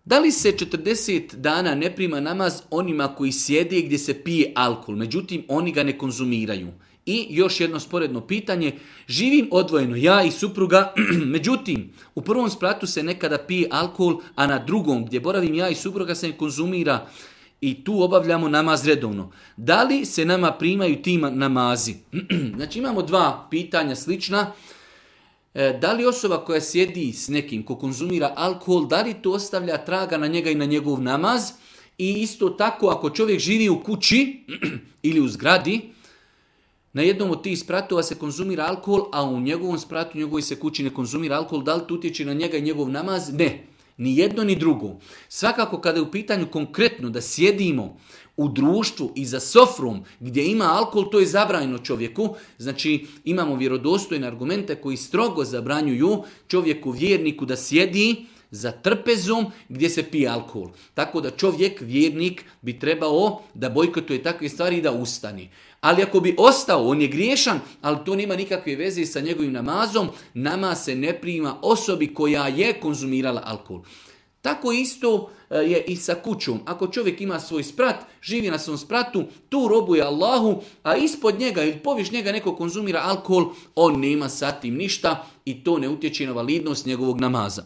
Da li se 40 dana ne prima namaz onima koji sjede gdje se pije alkohol, međutim oni ga ne konzumiraju? I još jedno sporedno pitanje, živim odvojeno, ja i supruga, međutim u prvom spratu se nekada pije alkohol, a na drugom gdje boravim ja i supruga se ne konzumira i tu obavljamo namaz redovno. Da li se nama primaju ti namazi? Znači imamo dva pitanja slična. Da li osoba koja sjedi s nekim ko konzumira alkohol, da li to ostavlja traga na njega i na njegov namaz? I isto tako ako čovjek živi u kući ili u zgradi, na jednom od tih spratova se konzumira alkohol, a u njegovom spratu, u njegovoj se kući ne konzumira alkohol, da li to utječe na njega i njegov namaz? Ne. Ni jedno ni drugo. Svakako kada je u pitanju konkretno da sjedimo u društvu i za sofrom gdje ima alkohol, to je zabranjeno čovjeku. Znači imamo vjerodostojne argumente koji strogo zabranjuju čovjeku vjerniku da sjedi za trpezom gdje se pije alkohol. Tako da čovjek, vjernik, bi trebao da bojkotuje takve stvari i da ustani. Ali ako bi ostao, on je griješan, ali to nema nikakve veze sa njegovim namazom, namaz se ne prima osobi koja je konzumirala alkohol. Tako isto je i sa kućom. Ako čovjek ima svoj sprat, živi na svom spratu, tu robuje Allahu, a ispod njega ili poviš njega neko konzumira alkohol, on nema sa tim ništa i to ne utječe na validnost njegovog namaza.